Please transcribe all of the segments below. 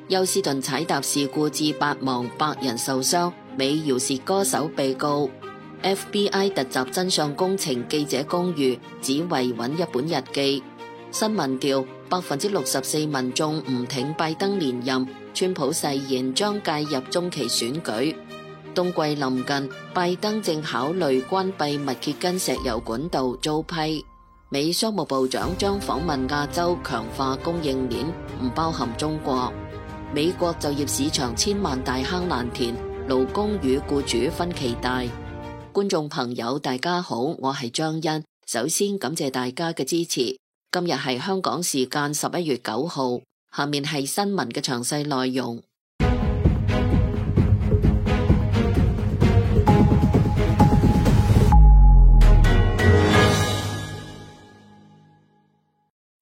休斯頓踩踏事故致8亡100人受傷，美饒舌歌手被告。FBI 突襲真相工程記者公寓，只為揾一本日記。新民調，64%民眾唔挺拜登連任，川普誓言將介入中期選舉。冬季臨近，拜登正考慮關閉密歇根石油管道遭批。美商務部長將訪問亞洲，強化供應鏈，唔包含中國。美國就業市場千萬大坑難填，勞工與僱主分歧大。觀眾朋友大家好，我係張欣，首先感謝大家嘅支持。今日係香港時間11月9號，下面係新聞嘅詳細內容。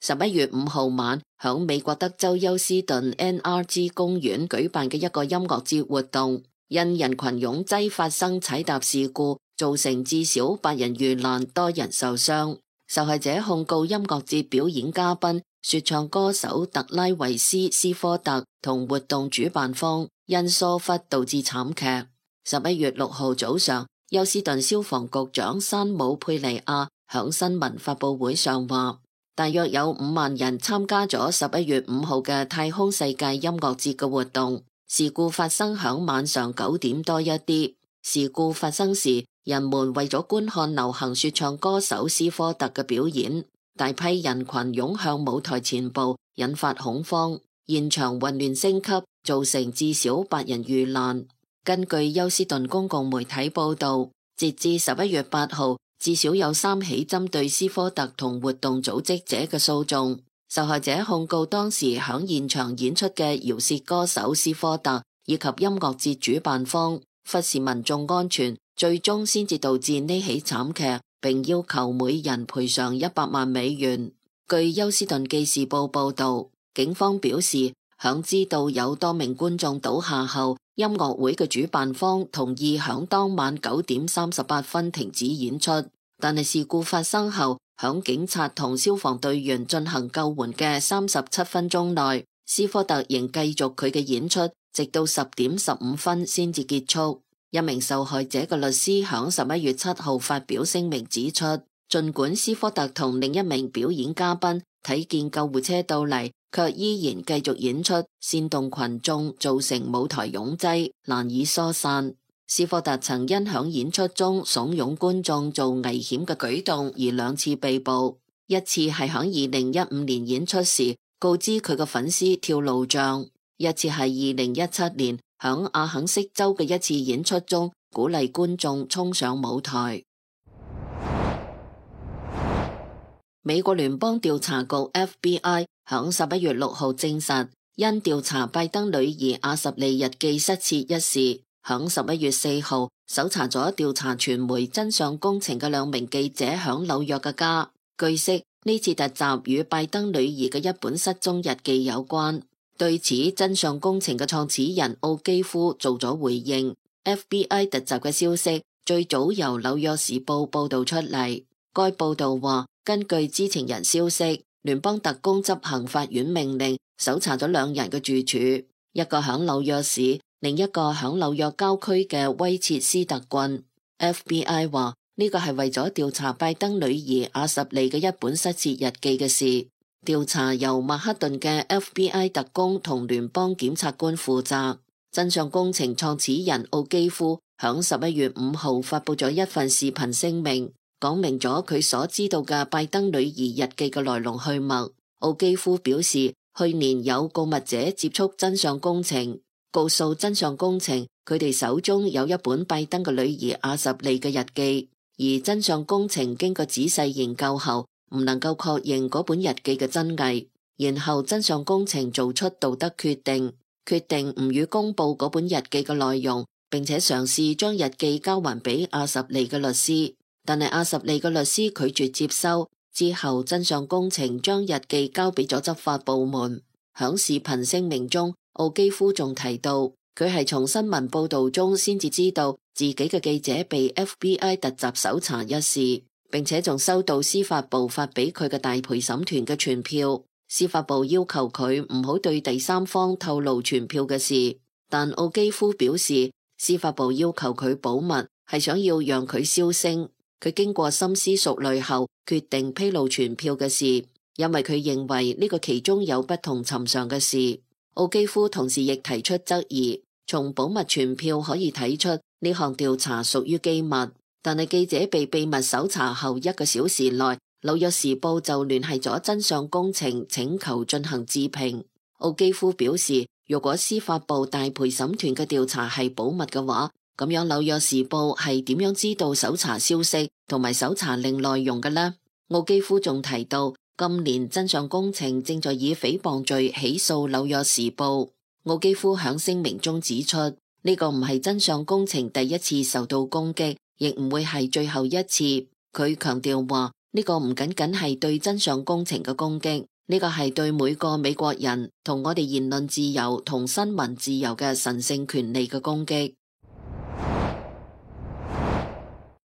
11月5號晚，響美國德州休斯頓 NRG 公園舉辦嘅一個音樂節活動，因人群擁擠發生踩踏事故，造成至少8人遇難，多人受傷。受害者控告音樂節表演嘉賓、說唱歌手特拉維斯·斯科特同活動主辦方因疏忽導致慘劇。11月6號早上，休斯頓消防局長山姆·佩尼亞響新聞發佈會上話，大約有5萬人參加咗11月5號嘅太空世界音樂節嘅活動。事故發生響晚上9點多一啲。事故發生時，人們為咗觀看流行說唱歌手斯科特嘅表演，大批人群湧向舞台前部，引發恐慌，現場混亂升級，造成至少8人遇難。根據休斯頓公共媒體報道，截至11月8號，至少有3起針對斯科特同活動組織者嘅訴訟。受害者控告當時響現場演出嘅饒舌歌手斯科特以及音樂節主辦方忽視民眾安全，最終先至導致呢起慘劇，並要求每人賠償100萬美元。據休斯頓記事報報道，警方表示響知道有多名觀眾倒下後，音樂會嘅主辦方同意響當晚9點38分停止演出，但係事故發生後，響警察同消防隊員進行救援嘅37分鐘內，斯科特仍繼續佢嘅演出，直到10點15分先至結束。一名受害者嘅律師響11月7號發表聲明指出，儘管斯科特同另一名表演嘉賓睇見救護車到嚟，卻依然繼續演出，煽動群眾，造成舞台擁擠，難以疏散。斯科特曾因響演出中慫恿觀眾做危險嘅舉動而2次被捕，一次係響2015年演出時告知佢嘅粉絲跳路障，一次係2017年響阿肯色州嘅一次演出中鼓勵觀眾衝上舞台。美國聯邦調查局 FBI 響11月6號證實，因調查拜登女兒阿什利日記失竊一事，響11月4號搜查咗調查傳媒真相工程嘅2名記者響紐約嘅家。據悉，呢次突襲與拜登女兒嘅一本失蹤日記有關。對此，真相工程嘅創始人奧基夫做咗回應。FBI 突襲嘅消息最早由紐約時報報道出嚟。該報道話，根據知情人消息，聯邦特工執行法院命令搜查咗2人嘅住處，一個響紐約市，另一個響紐約郊區嘅威切斯特郡。FBI 話呢個係為咗調查拜登女兒阿什利嘅一本失竊日記嘅事。調查由曼克頓嘅 FBI 特工同聯邦檢察官負責。真相工程創始人奧基夫響11月5號發佈咗一份視頻聲明，講明咗佢所知道嘅拜登女兒日記嘅來龍去脈。奧基夫表示，去年有告密者接觸真相工程，告訴真相工程佢哋手中有一本拜登嘅女兒阿什利嘅日記，而真相工程經過仔細研究後，唔能夠確認嗰本日記嘅真偽，然後真相工程做出道德決定唔予公布嗰本日記嘅內容，並且嘗試將日記交還俾阿什利嘅律師，但係阿什利嘅律師拒絕接收。之後真相工程將日記交俾咗執法部門。響視頻聲明中，奧基夫仲提到佢係從新聞報道中先至知道自己嘅記者被 FBI 突襲搜查一事，並且仲收到司法部發俾佢嘅大陪審團嘅傳票。司法部要求佢唔好對第三方透露傳票嘅事，但奧基夫表示，司法部要求佢保密係想要讓佢銷聲。佢經過深思熟慮後，決定披露傳票嘅事，因為佢認為呢個其中有不同尋常嘅事。奧基夫同時亦提出質疑，從保密傳票可以睇出呢項調查屬於機密，但係記者被秘密搜查後1個小時內，紐約時報就聯繫咗真相工程，請求進行置評。奧基夫表示，如果司法部大陪審團嘅調查係保密嘅話，咁樣紐約時報係點樣知道搜查消息同埋搜查令內容嘅呢？奧基夫仲提到，今年真相工程正在以誹謗罪起訴紐約時報。奧基夫響聲明中指出，呢個唔係真相工程第一次受到攻擊，亦唔會係最後一次。佢強調話，呢個唔僅僅係對真相工程嘅攻擊，呢個係對每個美國人同我哋言論自由同新聞自由嘅神聖權利嘅攻擊。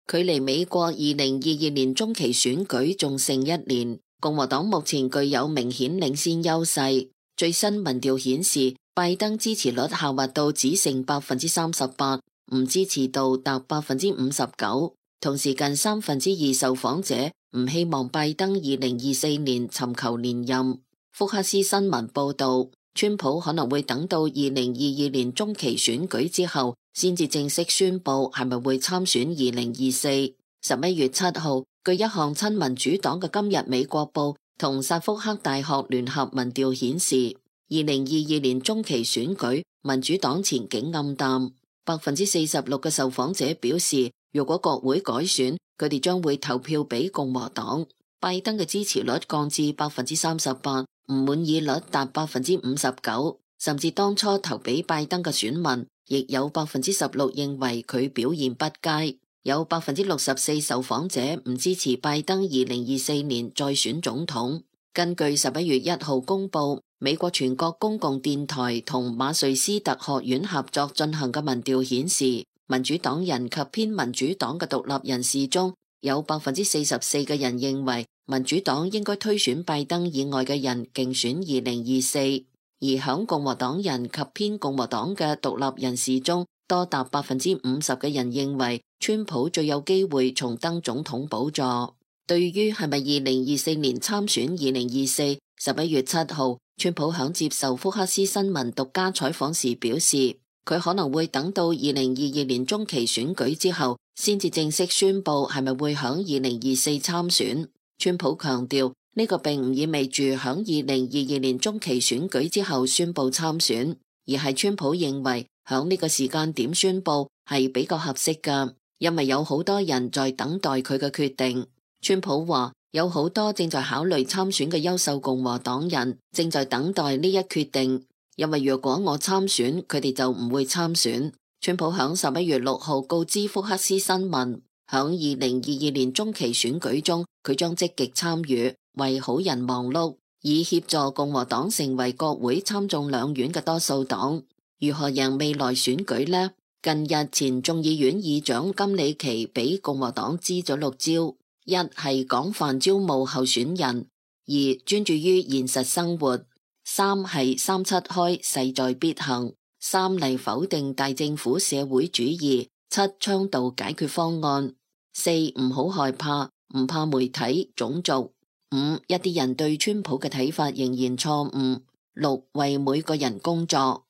距離美國2022年中期選舉仲剩1年，共和黨目前具有明顯領先優勢。最新民調顯示，拜登支持率下滑到只剩38%，唔支持度達59%。同時，近2/3受訪者唔希望拜登2024年尋求連任。福克斯新聞報道，川普可能會等到2022年中期選舉之後，先至正式宣布係咪會參選2024。11月7號，據一項親民主黨嘅今日美國報同薩福克大學聯合民調顯示，2022年中期選舉民主黨前景暗淡。46%嘅受訪者表示，如果國會改選，佢哋將會投票俾共和黨。拜登嘅支持率降至38%，唔滿意率達59%，甚至當初投俾拜登嘅選民，亦有16%認為佢表現不佳。有64%受訪者唔支持拜登2024年再選總統。根據11月1號公佈，美國全國公共電台同馬瑞斯特學院合作進行嘅民調顯示，民主黨人及偏民主黨嘅獨立人士中有44%嘅人認為民主黨應該推選拜登以外嘅人競選2024，而響共和黨人及偏共和黨嘅獨立人士中，多達50%嘅人認為川普最有機會重登總統寶座。對於係咪2024年參選2024， 11月7號，川普響接受福克斯新聞獨家採訪時表示，佢可能會等到2022年中期選舉之後，先至正式宣布係咪會響2024參選。川普強調，呢個並唔意味住響2022年中期選舉之後宣布參選，而係川普認為響呢個時間點宣布係比較合適㗎，因為有好多人在等待佢嘅決定。川普話，有好多正在考慮參選嘅優秀共和黨人正在等待呢一決定，因為若果我參選，佢哋就唔會參選。川普響11月6號告知福克斯新聞，響2022年中期選舉中，佢將積極參與，為好人忙碌，以協助共和黨成為國會參眾兩院嘅多數黨。如何贏未來選舉呢？近日前眾議院議長金里奇俾共和黨支咗6招。一係廣泛招募候選人，二專注於現實生活，三係3-7開勢在必行，三嚟否定大政府社會主義，七倡導解決方案，四唔好害怕，唔怕媒體種族，五一啲人對川普嘅睇法仍然錯誤，六為每個人工作。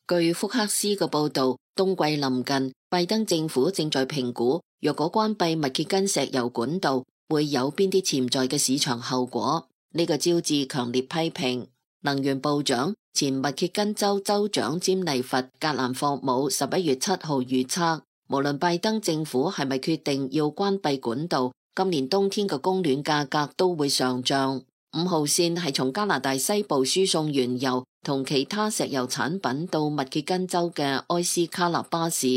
據福克斯嘅報道，冬季臨近，拜登政府正在評估，若果關閉密歇根石油管道，會有邊啲潛在嘅市場後果。呢個招致強烈批評。能源部長、前密歇根州州長詹妮弗·格蘭霍姆11月7號預測，無論拜登政府係咪決定要關閉管道，今年冬天嘅供暖價格都會上漲。5號線係從加拿大西部輸送原油同其他石油產品到密歇根州嘅埃斯卡納巴市，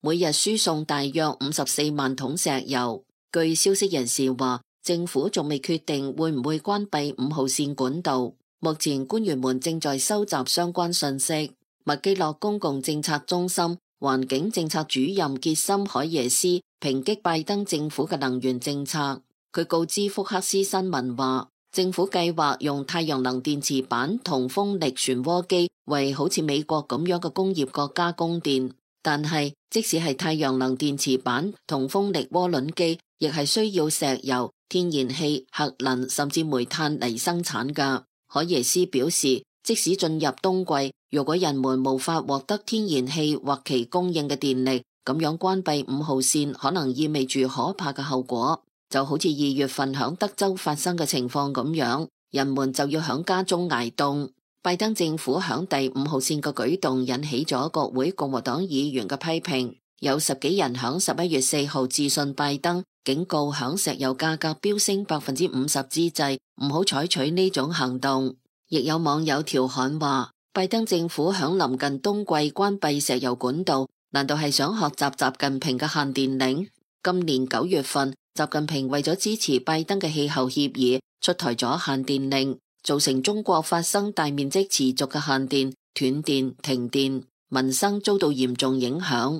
每日輸送大約54萬桶石油。據消息人士話，政府仲未決定會唔會關閉5號線管道。目前官員們正在收集相關信息。麥基諾公共政策中心環境政策主任傑森海耶斯抨擊拜登政府嘅能源政策。佢告知福克斯新聞話，政府計劃用太陽能電池板同風力旋渦機為好似美國咁樣嘅工業國家供電，但係即使係太陽能電池板同風力渦輪機，亦係需要石油、天然氣、核能甚至煤炭嚟生產㗎。海耶斯表示，即使進入冬季，如果人們無法獲得天然氣或其供應嘅電力，咁樣關閉5號線可能意味住可怕嘅後果。就好似2月份響德州發生嘅情況咁樣，人們就要響家中挨凍。拜登政府響第5號線嘅舉動引起咗國會共和黨議員嘅批評，有10幾人響11月4號致信拜登，警告響石油價格飆升50%之際，唔好採取呢種行動。亦有網友調侃話，拜登政府響臨近冬季關閉石油管道，難道係想學習習近平嘅限電令？今年9月份，習近平為咗支持拜登嘅氣候協議，出台咗限電令，造成中國發生大面積持續嘅限電、斷電、停電，民生遭到嚴重影響。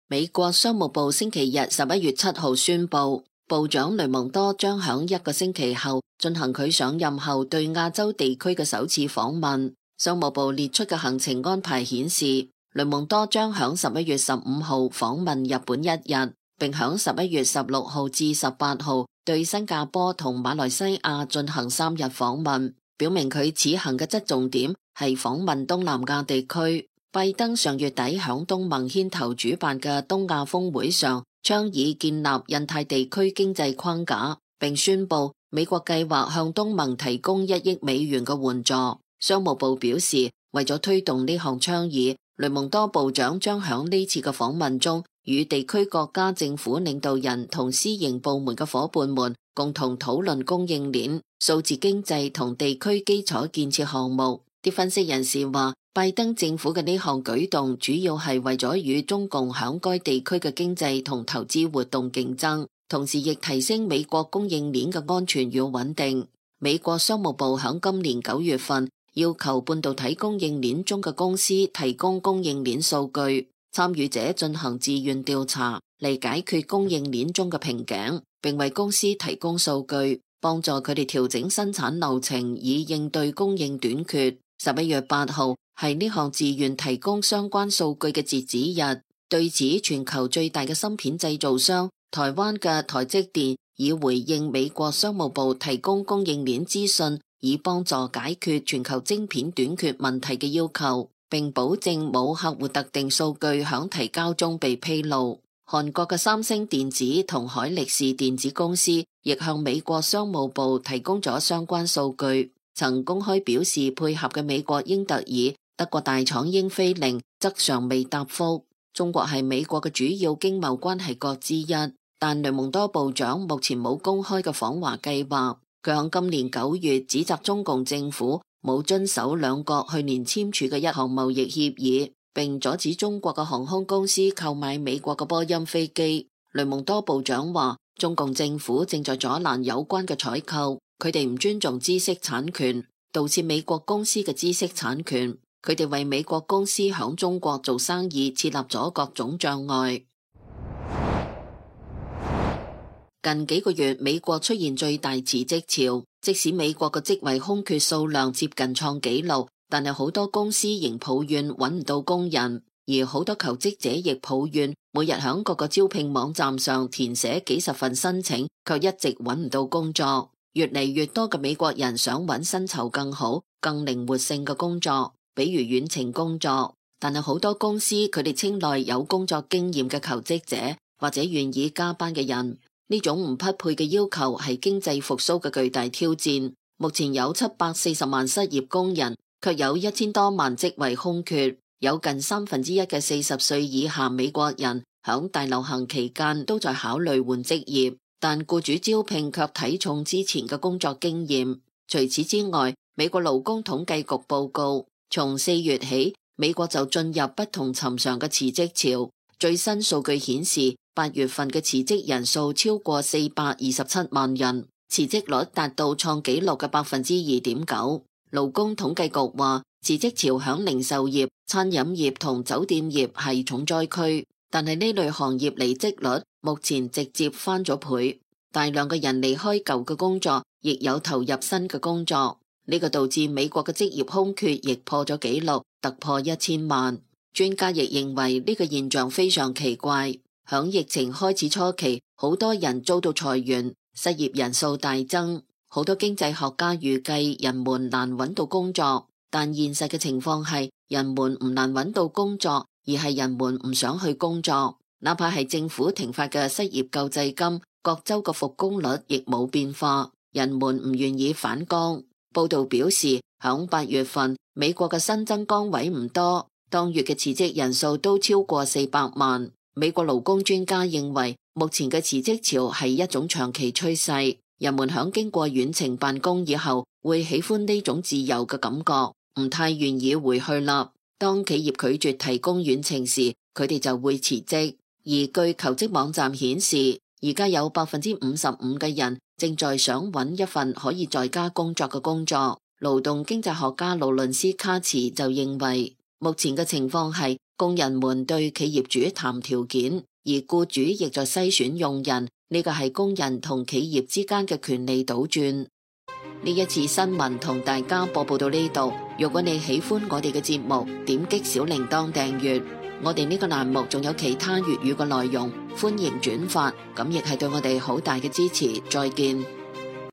美國商務部星期日11月7號宣布，部長雷蒙多將響1個星期後進行佢上任後對亞洲地區嘅首次訪問。商務部列出嘅行程安排顯示，雷蒙多將響11月15號訪問日本1日，並響11月16號至18號對新加坡同馬來西亞進行3日訪問，表明佢此行嘅側重點係訪問東南亞地區。拜登上月底響東盟牽頭主辦嘅東亞峰會上，倡議建立印太地區經濟框架，並宣布美國計劃向東盟提供1億美元嘅援助。商務部表示，為咗推動呢項倡議，雷蒙多部長將響呢次嘅訪問中，與地區國家政府領導人同私營部門嘅夥伴們共同討論供應鏈、數字經濟同地區基礎建設項目。啲分析人士話，拜登政府嘅呢項舉動主要係為咗與中共響該地區嘅經濟同投資活動競爭，同時亦提升美國供應鏈嘅安全與穩定。美國商務部響今年9月份要求半導體供應鏈中嘅公司提供供應鏈數據，參與者進行自願調查嚟解決供應鏈中嘅瓶頸，並為公司提供數據，幫助佢哋調整生產流程以應對供應短缺。11月8號係呢項自願提供相關數據嘅截止日。對此，全球最大嘅芯片製造商台灣嘅台積電已回應美國商務部提供供應鏈資訊，以幫助解決全球晶片短缺問題嘅要求，並保證冇客戶特定數據響提交中被披露。韓國嘅三星電子同海力士電子公司亦向美國商務部提供咗相關數據，曾公開表示配合嘅美國英特爾、德國大廠英飛凌則尚未答覆。中國係美國嘅主要經貿關係國之一，但雷蒙多部長目前冇公開嘅訪華計劃。佢喺今年9月指責中共政府冇遵守兩國去年簽署嘅一項貿易協議，並阻止中國嘅航空公司購買美國嘅波音飛機。雷蒙多部長話，中共政府正在阻攔有關嘅採購，佢哋唔尊重知識產權，盜竊美國公司嘅知識產權。佢哋為美國公司響中國做生意設立咗各種障礙。近幾個月，美國出現最大辭職潮，即使美國嘅職位空缺數量接近創紀錄，但係好多公司仍抱怨揾唔到工人，而好多求職者亦抱怨每日響各個招聘網站上填寫幾十份申請，卻一直揾唔到工作。越嚟越多嘅美國人想揾薪酬更好、更靈活性嘅工作，比如遠程工作，但係好多公司佢哋青睞有工作經驗嘅求職者，或者願意加班嘅人。呢種唔匹配嘅要求係經濟復甦嘅巨大挑戰。目前有740萬失業工人，卻有1000多萬職位空缺，有近1/3嘅40歲以下美國人響大流行期間都在考慮換職業，但僱主招聘卻睇重之前嘅工作經驗。除此之外，美國勞工統計局報告，從4月起，美國就進入不同尋常嘅辭職潮。最新數據顯示，8月份嘅辭職人數超過427萬人，辭職率達到創紀錄嘅2.9%。勞工統計局話，辭職潮響零售業、餐飲業同酒店業係重災區，但係呢類行業離職率目前直接翻咗倍。大量嘅人離開舊嘅工作，亦有投入新嘅工作，呢個導致美國嘅職業空缺亦破咗紀錄，突破1000萬。專家亦認為呢個現象非常奇怪。響疫情開始初期，好多人遭到裁員，失業人數大增。好多經濟學家預計人們難揾到工作，但現實嘅情況係人們唔難揾到工作，而係人們唔想去工作。哪怕係政府停發嘅失業救濟金，各州嘅復工率亦冇變化，人們唔願意返崗。報道表示，響8月份，美國嘅新增崗位唔多，當月嘅辭職人數都超過400萬。美國勞工專家認為，目前嘅辭職潮係一種長期趨勢，人們響經過遠程辦公以後，會喜歡呢種自由嘅感覺，唔太願意回去啦。當企業拒絕提供遠程時，佢哋就會辭職。而據求職網站顯示，而家有55%嘅人正在想揾一份可以在家工作嘅工作。勞動經濟學家勞倫斯卡茨就認為，目前嘅情況係工人們對企業主談條件，而僱主亦在篩選用人，呢個係工人同企業之間嘅權利倒轉。呢一次新聞同大家播報到呢度，如果你喜歡我哋嘅節目，點擊小鈴鐺訂閱。我哋呢個欄目仲有其他粵語嘅內容，歡迎轉發，咁亦係對我哋好大嘅支持。再見。